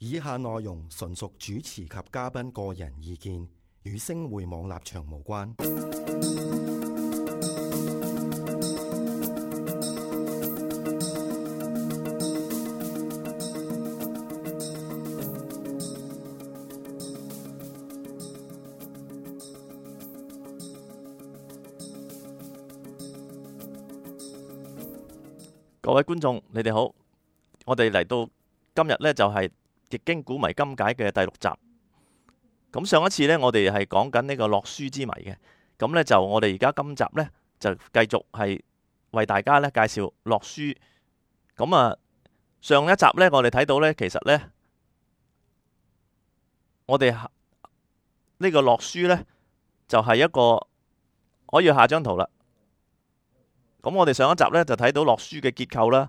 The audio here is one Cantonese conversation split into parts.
以下內容純屬主持及嘉賓個人意見，與星匯網立場無關。各位觀眾，你哋好！我哋嚟到今日呢，就係《易經古謎今解》嘅第6集。咁上一次呢，我哋係講緊呢個洛書之謎嘅。咁呢，就我哋而家今集呢，就繼續係為大家呢介紹洛書。咁啊，上一集呢，我哋睇到呢，其實呢，我哋呢個洛書呢，就係一個可以下張圖啦。咁我哋上一集呢，就睇到洛書嘅結構啦，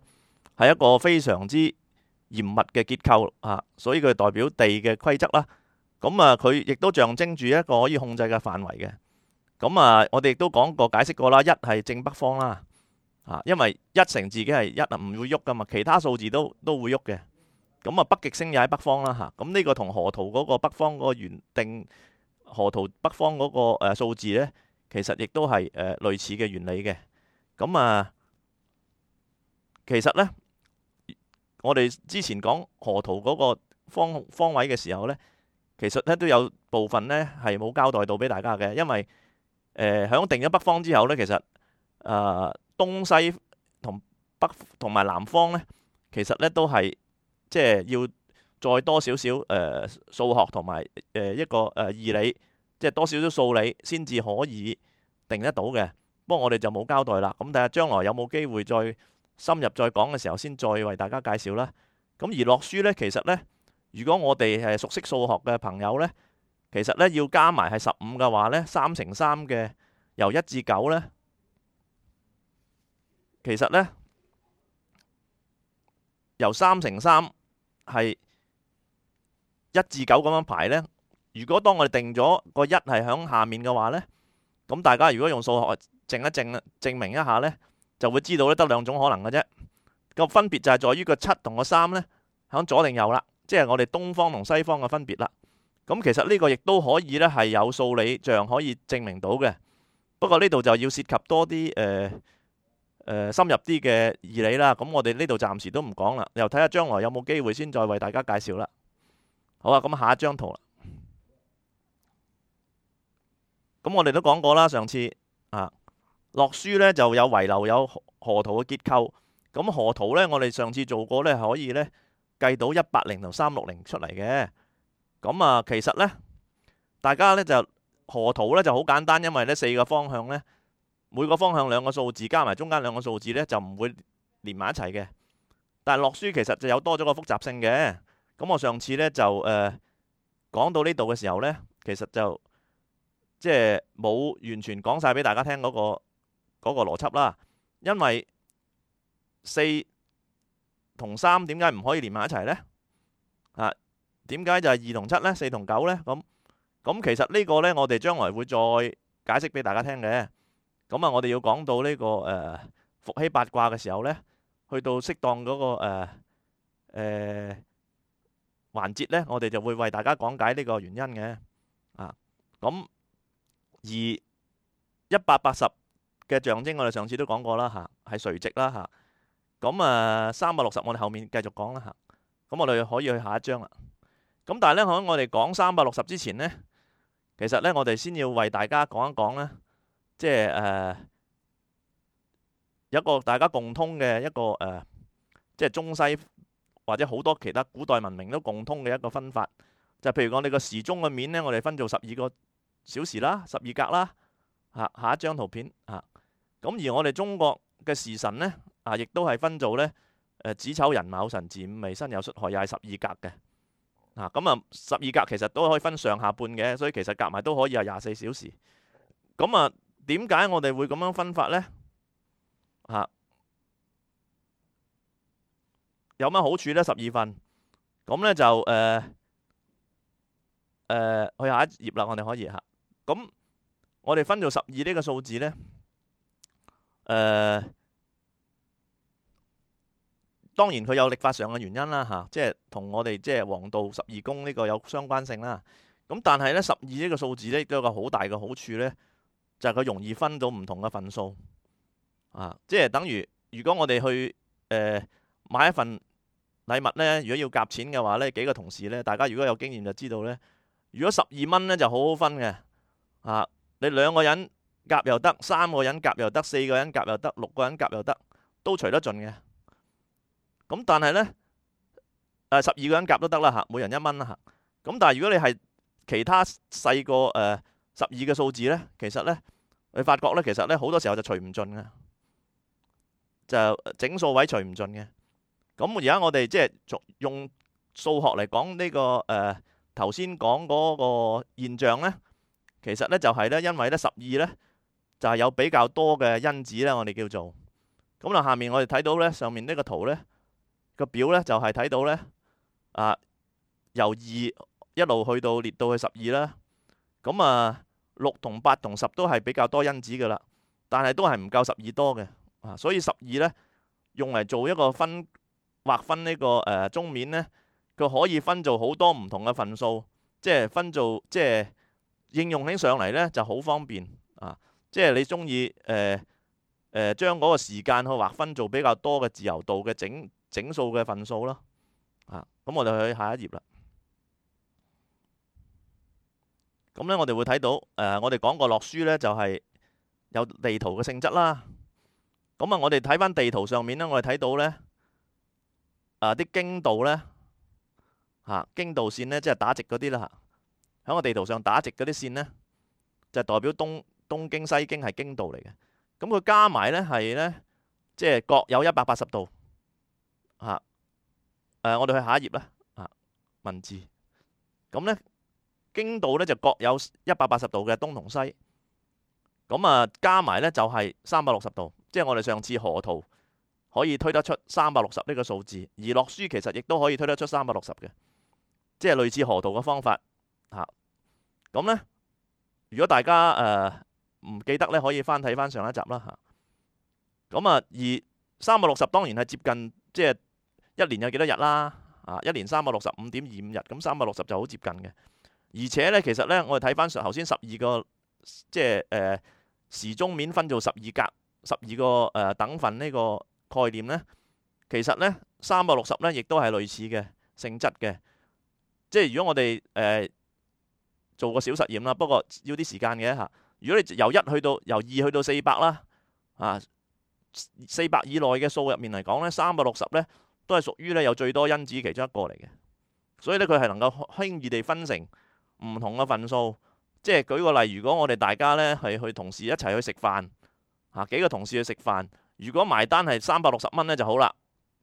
係一個非常之嚴密嘅結構啊，所以佢代表地嘅規則啦。咁啊，佢亦都象徵住一個可以控制嘅範圍嘅。咁啊，我哋亦都講過解釋過啦，一係正北方啦，啊，因為一乘自己係一啊，唔會喐噶嘛，其他數字都會喐嘅。咁啊，北極星又喺北方啦嚇。咁呢個同河圖嗰個北方嗰個原定河圖北方嗰個數字呢，其實亦都係類似嘅原理嘅。咁啊，其實呢，我哋之前講河圖嗰個方位嘅時候呢，其實呢都有部分呢係冇交代到俾大家嘅，因為響定咗北方之後呢，其實東西同北同埋南方呢，其實呢都係即係要再多少少數學同埋一個義理，即係多少少數理先至可以定得到嘅。不過我哋就冇交代啦，咁睇下將來有冇機會再深入再講嘅時候，先再為大家介紹啦。咁而洛書呢，其實呢，如果我哋係熟悉數學嘅朋友呢，其實呢要加埋係15嘅話呢，3乘3嘅由1至9呢，其實呢由3乘3係1至9咁樣排呢。如果當我哋定咗個1係響下面嘅話呢，咁大家如果用數學證明一下呢，就會知道咧得兩種可能嘅啫。個分別就係在於個7同個3呢，響左定右啦，即係我哋東方同西方嘅分別啦。咁其實呢個亦都可以呢係有數理象可以證明到嘅。不過呢度就要涉及多啲深入啲嘅義理啦。咁我哋呢度暫時都唔講啦，又睇下將來有冇機會先再為大家介紹啦。好啊，咁下一張圖啦。咁我哋都講過啦，上次啊。洛書呢就有遺留有河圖嘅結構，咁河圖呢，我哋上次做過呢，可以呢計到180同360出嚟嘅。咁啊，其實呢，大家呢就河圖呢就好簡單，因為呢4個方向呢，每個方向2個數字加埋中間2個數字呢，就唔會連埋一齊嘅。但係洛書其實就有多咗個複雜性嘅。咁我上次呢就講到呢度嘅時候呢，其實就即係冇完全講晒俾大家聽嗰個邏輯啦，因為4同3點解唔可以連埋一齊呢？啊，點解就係2同7呢？4同9呢？咁其實呢個呢，我哋將來會再解釋俾大家聽嘅。咁啊，我哋要講到呢個伏羲八卦嘅時候呢，去到適當嗰個環節呢，我哋就會為大家講解呢個原因嘅。啊，咁而180嘅象徵，我哋上次都講過啦嚇，係垂直啦嚇。咁啊360，我哋後面繼續講啦嚇。咁我哋可以去下一章啦。咁但係呢，喺我哋講360之前呢，其實呢，我哋先要為大家講一講呢，即係有一個大家共通嘅一個即係中西或者好多其他古代文明都共通嘅一個分法，就譬如我哋個時鐘嘅面呢，我哋分做12個小時啦，12格啦。下一張圖片嚇。咁而我哋中國嘅時辰呢，亦都係分做呢子丑寅卯辰巳午未申酉戌亥，又係12格嘅。咁啊12格其實都可以分上下半嘅，所以其實夾埋都可以係24小時。咁啊，點解我哋會咁樣分法呢？有乜好處呢？12份。咁呢就去下一頁啦，我哋可以嚇。咁我哋分做12呢個數字呢，當然佢有曆法上嘅原因啦嚇，即係同我哋即係黃道十二宮呢個有相關性啦。咁但係呢，12呢個數字呢，都有個好大嘅好處呢，就係佢容易分到唔同嘅份數啊！即係等於如果我哋去買一份禮物呢，如果要夾錢嘅話呢，幾個同事呢，大家如果有經驗就知道呢，如果12蚊呢就好好分嘅啊！你2個人夾又得，3個人夾又得，4個人夾又得，6個人夾又得，都除得盡嘅。咁但係呢，12個人夾都得啦嚇，每人1蚊啦嚇。咁但係如果你係其他細過12嘅數字呢，其實呢，你發覺呢，其實呢好多時候就除唔盡嘅，就整數位除唔盡嘅。咁而家我哋即係用數學嚟講呢個頭先講嗰個現象呢，其實呢就係呢，因為呢12呢就係有比較多嘅因子呢，我哋叫做咁啦。下面我哋睇到呢，上面呢個圖呢個表呢，就係睇到呢由2一路去到列到去12啦。咁6同8同10都係比較多因子噶啦，但係都係唔夠12多嘅所以12呢，用嚟做一個劃分呢個中面呢，佢可以分做好多唔同嘅份數，即係分做即係應用起上嚟呢就好方便即係你中意將嗰個時間去劃分做比較多嘅自由度嘅整數嘅份數咯咁我哋去下一頁啦。咁呢，我哋會睇到我哋講過洛書呢，就係有地圖嘅性質啦。咁我哋睇翻地圖上面呢，我哋睇到呢啲經度呢，經度線呢，即係打直嗰啲啦喺個地圖上打直嗰啲線呢，就代表東經西經係經度嚟嘅。咁佢加埋呢係呢，即係各有180度我哋去下一頁啦文字。咁呢，經度呢就各有180度嘅東同西。咁加埋呢就係360度，即係我哋上次河圖可以推得出360呢個數字，而洛書其實亦都可以推得出360嘅，即係類似河圖嘅方法咁呢，如果大家唔記得呢，可以翻睇翻上一集啦咁而360當然係接近即係一年有幾多日啦一年365.25日，咁360就好接近嘅。而且呢，其實呢，我哋睇翻頭先12個即係時鐘面分做12格，12個等份呢個概念呢，其實呢360呢亦都係類似嘅性質嘅。即係如果我哋做個小實驗啦，不過要啲時間嘅如果你由2去到400啦400以內嘅數入面嚟講呢，360呢都係屬於呢有最多因子其中一個嚟嘅。所以呢，佢係能夠輕易地分成唔同嘅份數。即係舉個例，如果我哋大家呢係去同事一齊去食飯幾個同事去食飯，如果埋單係360蚊呢就好啦，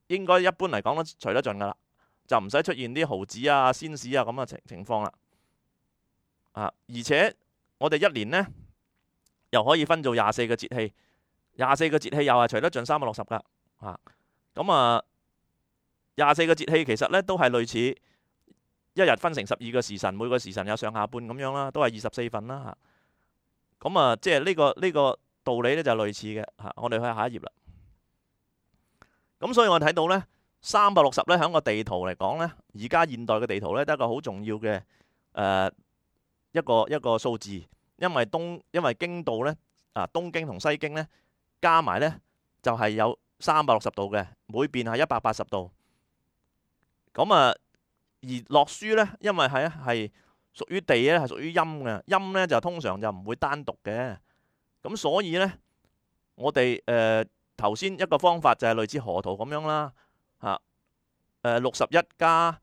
應該一般嚟講都除得盡噶啦，就唔使出現啲毫子仙士咁嘅情況啦而且我哋一年呢又可以分做24個節氣，24個節氣又係除得盡360噶咁24個節氣其實呢都係類似一日分成12個時辰，每個時辰有上下半咁樣啦，都係24份啦咁即係呢個道理呢就類似嘅我哋去下一頁啦。咁所以我睇到呢360呢喺個地圖嚟講呢，而家現代嘅地圖呢都係一個好重要嘅一個數字，因為經度呢東經同西經呢加埋呢就係有360度嘅，每邊係180度。咁而洛書呢，因為係屬於地呢，係屬於陰嘅，陰呢就通常就唔會單獨嘅。咁所以呢，我哋頭先一個方法就係類似河圖咁樣啦61加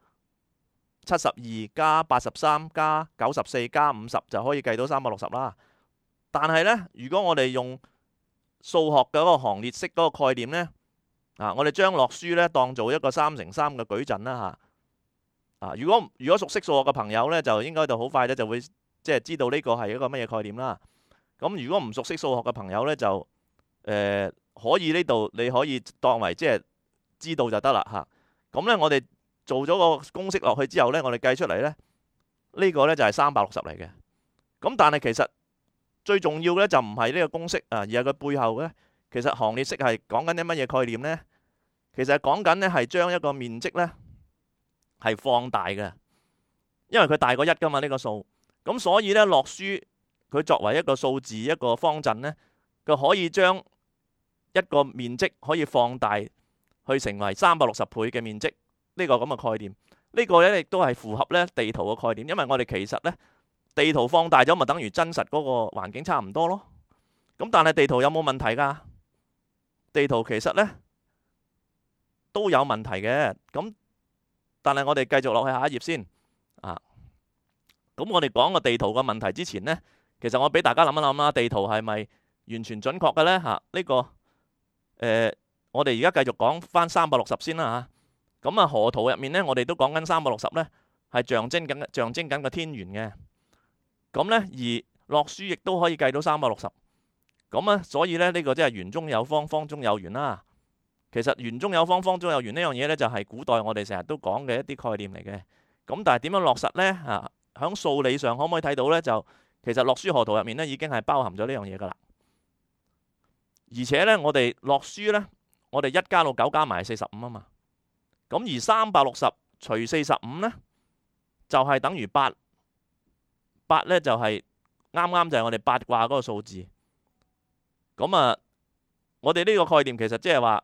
72加83加94加50就可以計到360啦。但係呢，如果我哋用數學嘅嗰個行列式嗰個概念呢，我哋將洛書呢當做一個3乘3嘅矩陣啦如果熟悉數學嘅朋友呢，就應該就好快呢就會即係知道呢個係一個乜嘢概念啦。咁如果唔熟悉數學嘅朋友呢，就可以呢度你可以當為即係知道就得啦咁呢，我哋做咗個公式落去之後呢，我哋計出嚟呢，呢個呢就係360嚟嘅。咁但係其實最重要呢，就唔係呢個公式而係佢背後呢，其實行列式係講緊啲乜嘢概念呢？其實講緊呢係將一個面積呢係放大嘅，因為佢大過1噶嘛呢個數，咁所以呢，洛書佢作為一個數字一個方陣呢，佢可以將一個面積可以放大去成為360倍嘅面積，呢個咁嘅概念，呢個呢亦都係符合呢地圖嘅概念，因為我哋其實呢地圖放大咗咪等於真實嗰個環境差唔多咯。咁但係地圖有冇問題㗎？地圖其實呢都有問題嘅，咁但係我哋繼續落去下一頁先啊。咁我哋講個地圖嘅問題之前呢，其實我俾大家諗一諗啦，地圖係咪完全準確嘅呢？呢個我哋而家繼續講翻360先啦嚇。咁河圖入面呢，我哋都講緊360呢係象徵緊個天圓嘅。咁呢，而洛書亦都可以計到360。咁啊，所以呢，呢個即係圓中有方，方中有圓啦。其實圓中有方，方中有圓呢樣嘢呢，就係古代我哋成日都講嘅一啲概念嚟嘅。咁但係點樣落實呢？喺數理上可唔可以睇到呢？就其實洛書河圖入面呢已經係包含咗呢樣嘢噶啦。而且呢，我哋洛書呢，我哋1加到9加埋45啊嘛。咁而360除45呢，就係等於8。8呢就係啱啱就係我哋八卦嗰個數字。咁啊，我哋呢個概念其實即係話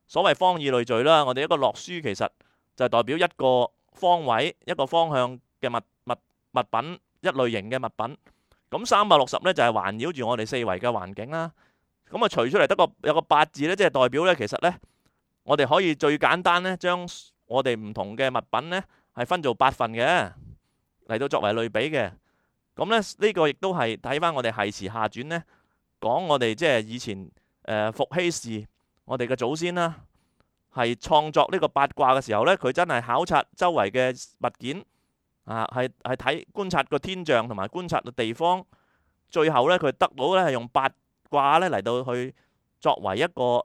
所謂方以類聚啦。我哋一個洛書其實就係代表一個方位、一個方向嘅物品，一類型嘅物品。咁360呢就係環繞住我哋四圍嘅環境啦。咁啊，除出嚟有個8字呢，即係代表呢，其實呢，我哋可以最簡單呢，將我哋唔同嘅物品呢係分做8份嘅，嚟到作為類比嘅。咁呢，呢個亦都係睇翻我哋繫辭下傳呢，講我哋即係以前伏羲氏我哋嘅祖先啦，係創作呢個八卦嘅時候呢，佢真係考察周圍嘅物件係觀察個天象同埋觀察個地方，最後呢，佢得到呢係用八卦呢嚟到去作為一個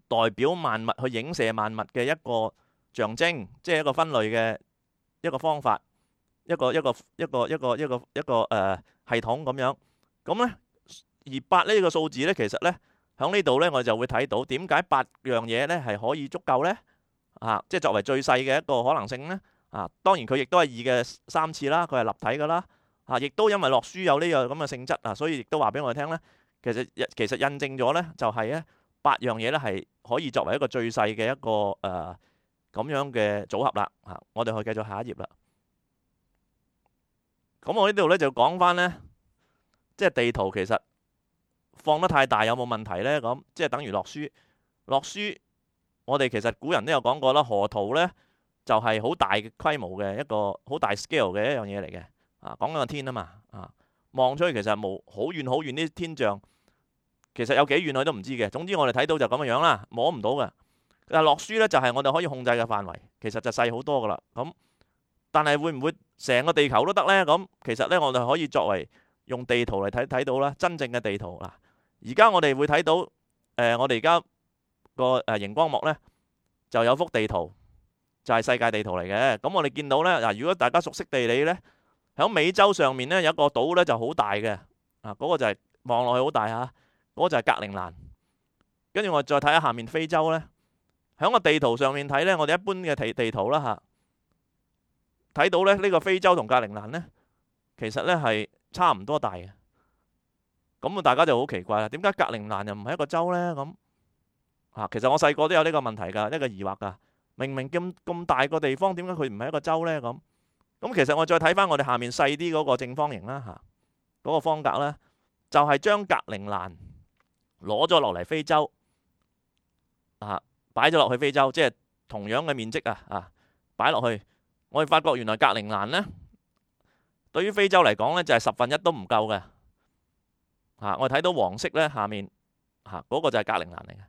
代表萬物去影射萬物嘅一個象徵，即係一個分類嘅一個方法。一個系統咁樣，咁呢，而8呢個數字呢，其實呢，喺呢度呢，我就會睇到點解8樣嘢呢係可以足夠呢？即係作為最細嘅一個可能性呢。當然佢亦都係2嘅3次啦，佢係立體噶啦。亦都因為洛書有呢樣咁嘅性質所以亦都話俾我哋聽呢，其實印證咗呢，就係呢8樣嘢呢係可以作為一個最細嘅一個咁樣嘅組合啦。我哋可以繼續下一頁啦。咁我呢度呢就講翻呢，即係地圖其實放得太大有冇問題呢？咁即係等於洛書。洛書我哋其實古人都有講過啦，河圖呢就係好大嘅規模嘅一個好大 scale 嘅一樣嘢嚟嘅。講緊個天啊嘛，望出去其實冇好遠好遠啲天象，其實有幾遠我都唔知嘅。總之我哋睇到就咁樣啦，摸唔到嘅。但係洛書呢就係我哋可以控制嘅範圍，其實就細好多噶啦。咁但係會唔會成個地球都得呢？咁其實呢，我哋可以作為用地圖嚟睇到啦，真正嘅地圖嗱。而家我哋會睇到我哋而家個熒光幕呢，就有幅地圖，就係世界地圖嚟嘅。咁我哋見到呢，嗱，如果大家熟悉地理呢，喺美洲上面呢，有一個島呢就好大嘅，嗰個就係望落去好大嚇，嗰個就係格陵蘭。跟住我再睇下下面非洲呢，喺個地圖上面睇呢，我哋一般嘅地圖啦嚇。睇到咧，呢個非洲同格陵蘭呢，其實呢係差唔多大嘅。咁大家就好奇怪啦，點解格陵蘭又唔係一個洲呢？咁其實我細個都有呢個問題㗎，呢個疑惑㗎。明明咁大個地方，點解佢唔係一個洲呢？咁其實我再睇翻我哋下面細啲嗰個正方形啦嗰個方格呢，就係將格陵蘭攞咗落嚟非洲擺咗落去非洲，即係同樣嘅面積擺落去。我哋發覺原來格陵蘭呢，對於非洲嚟講呢，就係1/10都唔夠嘅。我哋睇到黃色呢，下面嗰個就係格陵蘭嚟嘅，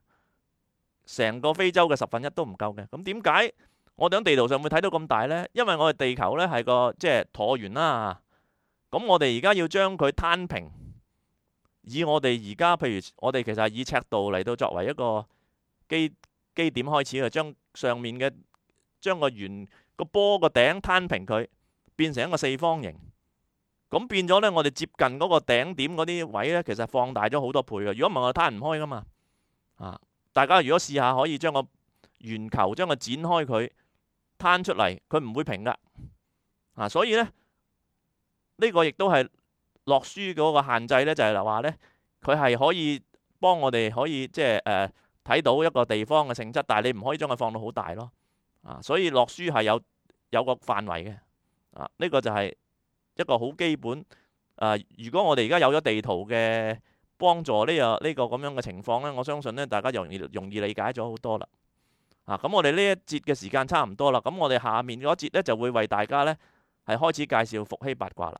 成個非洲嘅1/10都唔夠嘅。咁點解我哋喺地圖上會睇到咁大呢？因為我哋地球呢係個即係橢圓啦。咁我哋而家要將佢攤平，以我哋而家譬如我哋其實係以赤道嚟到作為一個基點開始，將上面嘅將個圓個波個頂攤平佢，變成一個四方形。咁變咗呢，我哋接近嗰個頂點嗰啲位呢，其實放大咗好多倍嘅。如果唔係我哋攤唔開噶嘛。大家如果試下可以將個圓球將佢展開佢攤出嚟，佢唔會平噶。所以呢，呢個亦都係落書嗰個限制呢，就係話呢，佢係可以幫我哋可以即係睇到一個地方嘅性質，但係你唔可以將佢放到好大咯。所以落書係有個範圍嘅。呢個就係一個好基本。如果我哋而家有咗地圖嘅幫助呢個咁樣嘅情況呢，我相信呢，大家容易理解咗好多啦。咁我哋呢一節嘅時間差唔多啦，咁我哋下面嗰一節呢，就會為大家呢係開始介紹伏羲八卦啦。